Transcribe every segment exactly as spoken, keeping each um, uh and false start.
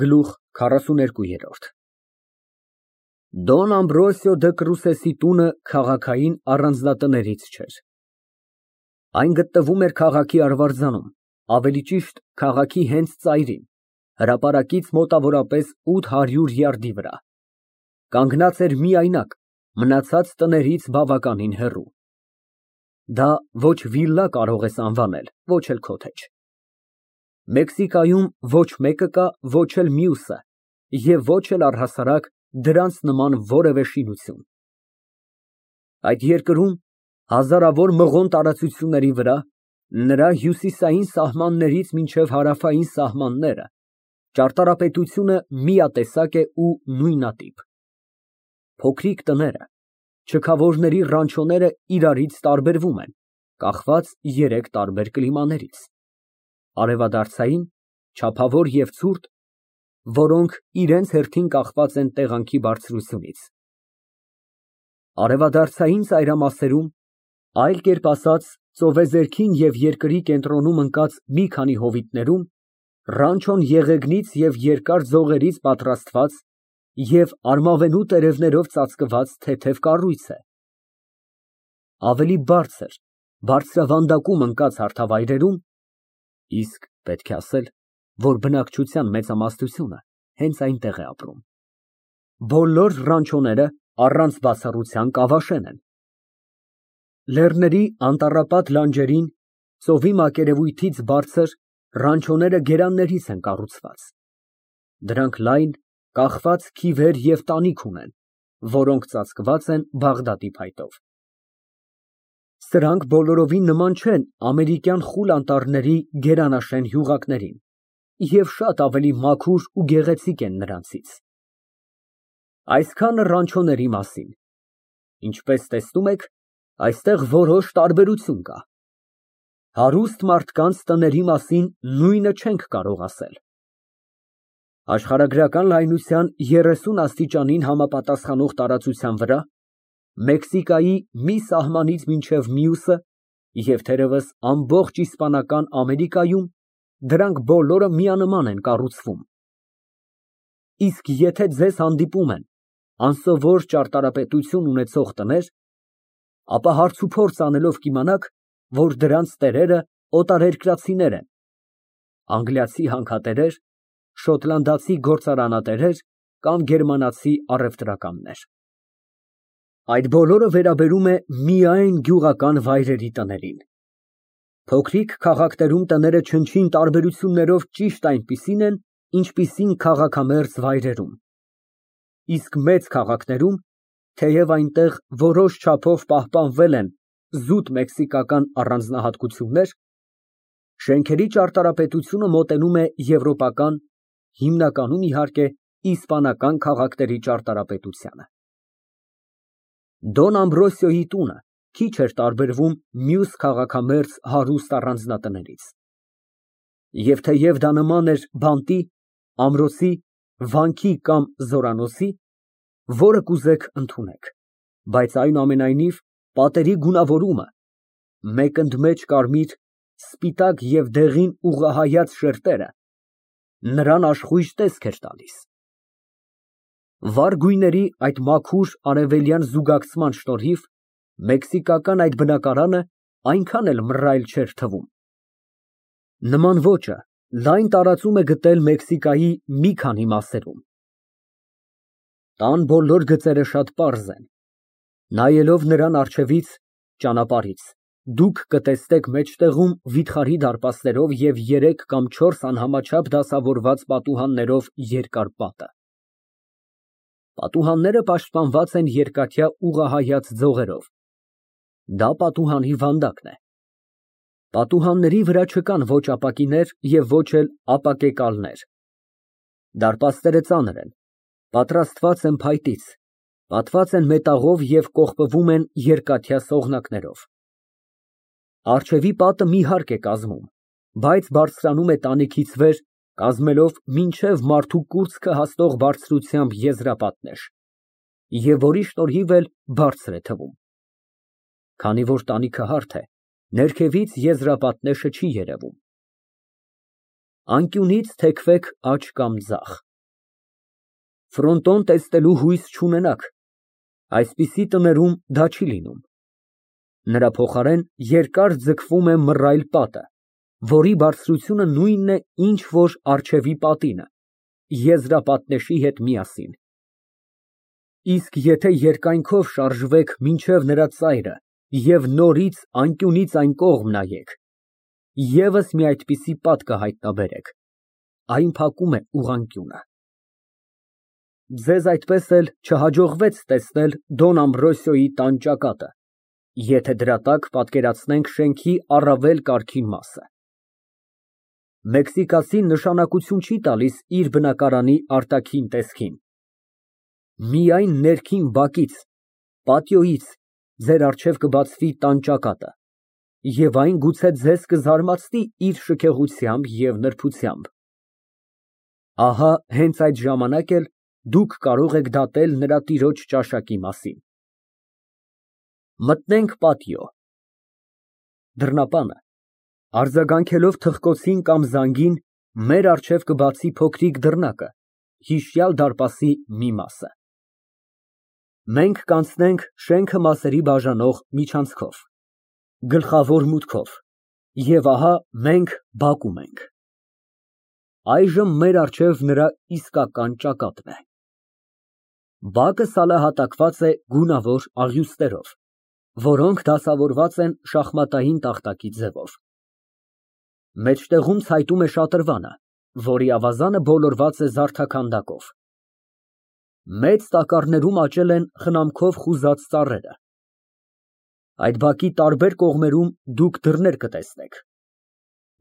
Գլուխ քառասուներկու։ Դոն Ամբրոսիո դը Կրուսեսի տունը քաղաքային առանձնատներից չէր։ Այն գտնվում էր քաղաքի արվարձանում, ավելի ճիշտ քաղաքի հենց ծայրին, հրապարակից մոտավորապես ութ հարյուր յարդի վրա, կանգնած էր միայնակ, մնացած տներից բավականին հեռու։ Դա ոչ վիլլա կարող ես անվանել, ոչ էլ քոթեջ։ Մեքսիկայում ոչ մեկը կա, ոչ էլ մյուսը, և ոչ էլ առհասարակ դրանց նման որևէ շինություն։ Այդ երկրում, հազարավոր մղոն տարածությունների վրա, նրա հյուսիսային սահմաններից մինչև հարավային սահմանները, ճարտարապետությունը միատեսակ է ու նույնատիպ։ Փոքրիկ տները, չքավորների ռանչոները իրարից տարբերվում են, կախված երեք տարբեր կլիմաներից. արևադարձային, չափավոր և ցուրտ, որոնք իրենց հերթին կախված են տեղանքի բարձրությունից, արևադարձային ծայրամասերում, այլ կերպ ասած, ծովեզերքին և երկրի կենտրոնում ընկած մի քանի հովիտներում, ռանչոն եղեգնից և երկար ձողերից պատրաստված և արմավենու տերևներով ծածկված թեթև կառույց է, ավելի բարձր, բարձրավանդակում ընկած հարթավայրերում, իսկ պետք է ասել, որ բնակչության մեծամասնությունը հենց այնտեղ է ապրում, բոլոր ռանչոները առանց բացառության կավաշեն են։ Լեռների անտառապատ լանջերին, ծովի մակերևույթից բարձր, ռանչոները գերաններից են կառուցված, դրանք լայն, կախված քիվեր և տանիք ունեն, որոնք ծածկված են Բաղդադի փայտով։ Սրանք բոլորովին նման չեն ամերիկյան խուլ անտառների գերանաշեն հյուղակներին և շատ ավելի մաքուր ու գեղեցիկ են նրանցից։ Այսքանը ռանչոների մասին, ինչպես տեսնում եք, այստեղ որոշ տարբերություն կա։ Հարուստ մարդկանց տների մասին նույնը չենք կարող ասել։ Աշխարհագրական լայնության երեսուն աստիճանին համապատասխանող տարածության վրա, Մեքսիկայի մի սահմանից մինչև մյուսը և թերևս ամբողջ Իսպանական Ամերիկայում, դրանք բոլորը միանման են կառուցվում։ Իսկ եթե ձեզ հանդիպում են անսովոր ճարտարապետություն ունեցող տներ, ապա հարց ու փորձ անելով կիմանաք, որ դրանց տերերը օտարերկրացիներ են, անգլիացի հանքատերեր, շոտլանդացի գործարանատերեր կամ գերմանացի առևտրականներ։ Այդ բոլորը վերաբերում է միայն գյուղական վայրերի տներին։ Փոքրիկ քաղաքներում տները չնչին տարբերություններով ճիշտ այնպիսին են, ինչպիսին քաղաքամերձ վայրերում, իսկ մեծ քաղաքներում, թեև այնտեղ որոշ չափով պահպանվել են զուտ մեքսիկական առանձնահատկություններ, շենքերի ճարտարապետությունը մոտենում է եվրոպական, հիմնականում, իհարկե, իսպանական քաղաքների ճարտարապետությանը։ Դոն Ամբրոսիոյի տունը քիչ էր տարբերվում մյուս քաղաքամերձ հարուստ առանձնատներից, և թեև դա նման էր բանտի, ամրոցի, վանքի կամ զորանոցի, որը կուզեք ընդունեք, բայց այնուամենայնիվ պատերի գունավորումը, մեկ ընդմեջ կարմիր, սպիտակ և դեղին ուղղահայաց շերտերը նրան աշխույժ տեսք էր տալիս։ Վառ գույների այդ մաքուր արևելյան զուգակցման շնորհիվ մեքսիկական այդ բնակարանը այնքան էլ մռայլ չէր թվում։ Նման ոճը լայն տարածում է գտել Մեքսիկայի մի քանի մասերում։ Տան բոլոր գծերը շատ պարզ են։ Նայելով նրան առջևից, ճանապարհից, դուք կտեսնեք մեջտեղում վիթխարի դարպասներով և երեք կամ չորս անհամաչափ դասավորված պատուհաններով երկար պատը։ Պատուհանները պաշտպանված են երկաթյա ուղղահայաց ձողերով։ Դա պատուհանի վանդակն է։ Պատուհանների վրա չկան ոչ ապակիներ և ոչ էլ ապակեկալներ։ Դարպասները ծանր են, պատրաստված են փայտից, պատված են մետաղով և կողպվում են երկաթյա սողնակներով։ Առջևի պատը մի հարկ է կազմում, բայց բարձրանում է տանիքից վեր, կազմելով մինչև մարդու կուրծքը հասնող բարձրությամբ եզրապատներ, և որի շնորհիվ էլ բարձր է թվում։ Քանի որ տանիքը հարթ է, ներքևից եզրապատնեշը չի երևում։ Անկյունից թեքվեք աջ կամ ձախ։ Ֆրոնտոն տեսնելու հույս չունենաք, այսպիսի տներում դա չի լինում։ Նրա փոխարեն երկար ձգվում է մռայլ պատը, որի բարձրությունը նույնն է, ինչ որ առջևի պատինը, եզրապատնեշի հետ միասին։ Իսկ եթե երկայնքով շարժվեք մինչև նրա ծայրը և նորից անկյունից այն կողմ նայեք, ևս մի այդպիսի պատ կհայտնաբերեք, այն փակում է ուղղանկյունը։ Ձեզ այդպես էլ չհաջողվեց տեսնել Դոն Ամբրոսիոյի տան ճակատը, եթե դրա տակ պատկերացնենք շենքի առավել կարգին մասը։ Մեքսիկացին նշանակություն չի տալիս իր բնակարանի արտաքին տեսքին։ Միայն ներքին բակից, պատիոյից ձեր առջև կբացվի տան ճակատը, և այն գուցե ձեզ կզարմացնի իր շքեղությամբ և նրբությամբ։ Ահա հենց այդ ժամանակ էլ դուք կարող եք դատել նրա տիրոջ ճաշակի մասին։ Մտնենք պատիո։ Դռնապանը, արձագանքելով թխկոցին կամ զանգին, մեր առջև կբացի փոքրիկ դռնակը, հիշյալ դարպասի մի մասը։ Մենք կանցնենք շենքը մասերի բաժանող միջանցքով, գլխավոր մուտքով, և ահա մենք բակում ենք։ Այժմ մեր առջև նրա իսկական ճակատն է։ Բակը սալահատակված է գունավոր աղյուստերով, որոնք դասավորված են շախմատային տախտակի ձևով։ Մեջտեղում ցայտում է շատրվանը, որի ավազանը բոլորված է զարդաքանդակով։ Մեծ տակառներում աճել են խնամքով խուզած ծառերը։ Այդ բակի տարբեր կողմերում դուք դռներ կտեսնեք։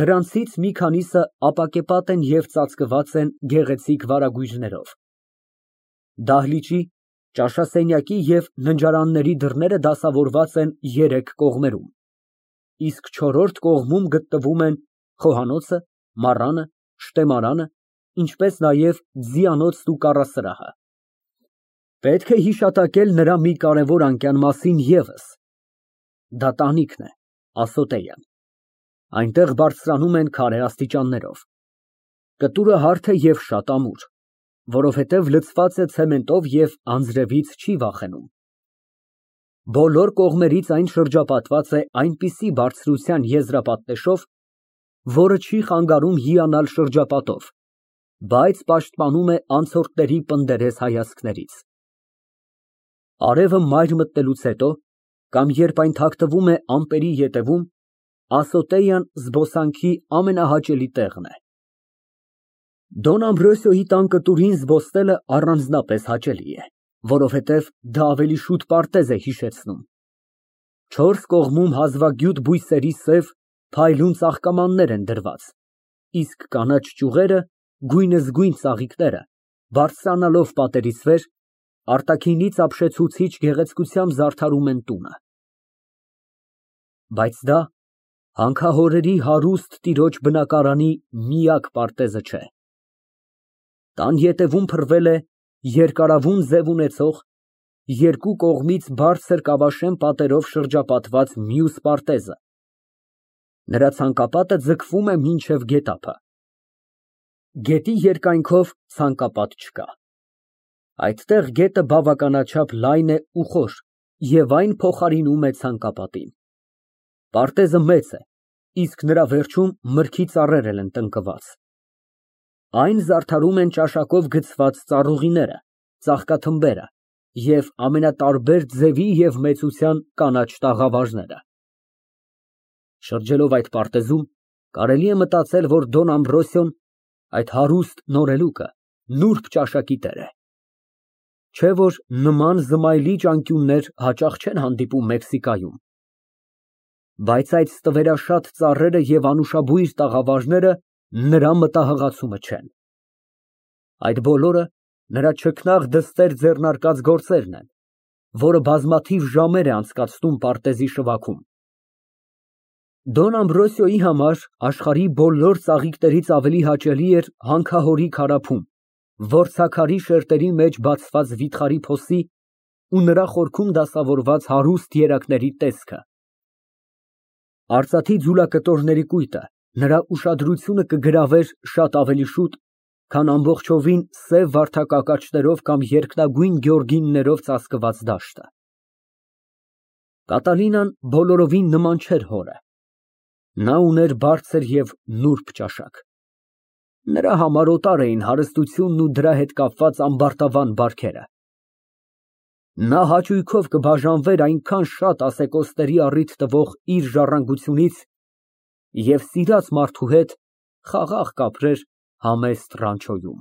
Դրանցից մի քանիսը ապակեպատ են և ծածկված են գեղեցիկ վարագույրներով։ Դահլիճի, ճաշասենյակի և ննջարանների դռները դասավորված են երեք կողմերում, իսկ չորրորդ կողմում գտնվում են խոհանոցը, մառանը, շտեմարանը, ինչպես նաև ձիանոցն ու կառասրահը։ Պետք է հիշատակել նրա մի կարևոր անկյան մասին ևս. դա տանիքն է, ասոտեան։ Այնտեղ բարձրանում են քարե աստիճաններով։ Կտուրը հարթ է և շատ ամուր, որովհետև լցված է ցեմենտով և անձրևից չի վախենում։ Բոլոր կողմերից այն շրջապատված է այնպիսի բարձրության եզրապատնեշով, որը չի խանգարում հիանալ շրջապատով, բայց պաշտպանում է անցորդների պնդերես հայացքներից։ Արևը մայր մտնելուց հետո, կամ երբ այն թաքնվում է ամպերի ետևում, ասոտեան զբոսանքի ամենահաճելի տեղն է։ Դոն Ամբրոսիոյի տան կտուրին զբոսնելը առանձնապես հաճելի է, որովհետև դա ավելի շուտ պարտեզ է հիշեցնում։ Չորս կողմում հազվագյուտ բույսերի սև, փայլուն ծաղկամաններ են դրված, իսկ կանաչ ճյուղերը, գույնզգույն ծաղիկները, բարձրանալով պատերից վեր, արտաքինից ապշեցուցիչ գեղեցկությամբ զարդարում են տունը։ Բայց դա հանքահորերի հարուստ տիրոջ բնակարանի միակ պարտեզը չէ։ Տան ետևում փռվել է երկարավուն ձև ունեցող, երկու կողմից բարձր կավաշեմ պատերով շրջապատված մյուս պարտեզը։ Նրա ցանկապատը ձգվում է մինչև գետափը։ Գետի երկայնքով ցանկապատ չկա։ Այդտեղ գետը բավականաչափ լայն է ու խոր և այն փոխարինում է ցանկապատին։ Պարտեզը մեծ է, իսկ նրա վերջում մրգի ծառեր են տնկված։ Այն զարդարում են ճաշակով գցված ծառուղիները, ծաղկաթմբերը և ամենատարբեր ձևի և մեծության կանաչ տաղավարները։ Շրջելով այդ պարտեզում, կարելի է մտածել, որ Դոն Ամբրոսիոն, այդ հարուստ նորելուկը, նուրբ ճաշակի տեր է։ Չէ՞ որ նման զմայլիչ անկյուններ հաճախ չեն հանդիպում Մեքսիկայում։ Բայց այդ ստվերաշատ ծառերը և անուշաբույր տաղավարները նրա մտահղացումը չեն։ Այդ բոլորը նրա չքնաղ դստեր ձեռնարկած գործերն են, որը բազմաթիվ ժամեր է անցկացնում պարտեզի շվաքում։ Դոն Ամբրոսիոյի համար աշխարհի բոլոր ծաղիկներից ավելի հաճելի էր հանքահորի քարափում, որցաքարի շերտերի մեջ բացված վիթխարի փոսի ու նրա խորքում դասավորված հարուստ երակների տեսքը։ Արծաթի ձուլակտորների կույտը Նրա ուշադրությունը կգրավեր շատ ավելի շուտ, քան ամբողջովին սև վարդակակաչներով կամ երկնագույն գյորգիններով ծածկված դաշտը։ Կատալինան բոլորովին նման չէր հորը։ Նա ուներ բարձր և նուրբ ճաշակ։ Նրա համար օտար էին հարստությունն ու դրա հետ կապված ամբարտավան բարքերը։ Նա հաճույքով կբաժանվեր այնքան շատ ասեկոսների առիթ տվող իր ժառանգությունից և սիրած մարդու հետ խաղաղ կապրեր համեստ ռանչոյում։